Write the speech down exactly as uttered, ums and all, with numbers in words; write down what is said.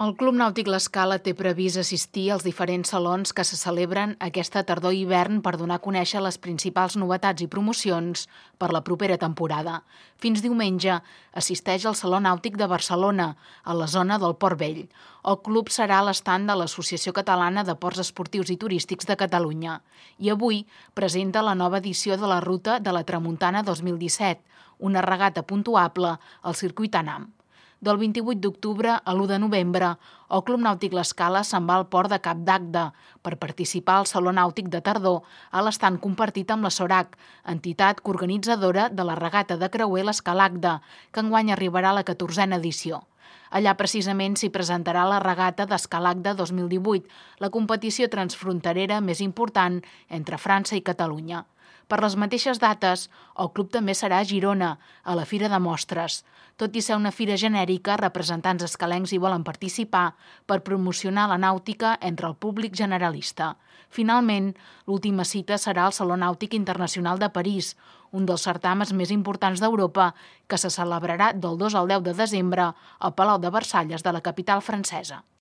El Club Nàutic L'Escala té previst assistir als diferents salons que se celebren aquesta tardor i hivern per donar a conèixer les principals novetats i promocions per la propera temporada. Fins diumenge assisteix al Saló Nàutic de Barcelona, a la zona del Port Vell. El club serà a l'estand de l'Associació Catalana de Ports Esportius i Turístics de Catalunya i avui presenta la nova edició de la Ruta de la Tramuntana dos mil disset, una regata puntuable al circuit ANAM. Del vint-i-vuit d'octubre a l'u de novembre, el Club Nàutic L'Escala se'n va al port de Cap d'Agde per participar al Saló Nàutic de Tardor a l'estand compartit amb la SORAC, entitat coorganitzadora de la regata de creuer l'Escalagde, que enguany arribarà a la catorzena edició. Allà precisament s'hi presentarà la regata d'Escalagde dos mil divuit, la competició transfronterera més important entre França i Catalunya. Per les mateixes dates, el club també serà a Girona, a la Fira de Mostres. Tot i ser una fira genèrica, representants escalencs hi volen participar per promocionar la nàutica entre el públic generalista. Finalment, l'última cita serà al Saló Nàutic Internacional de París, un dels certàmens més importants d'Europa, que se celebrarà del dos al deu de desembre al Palau de Versalles de la capital francesa.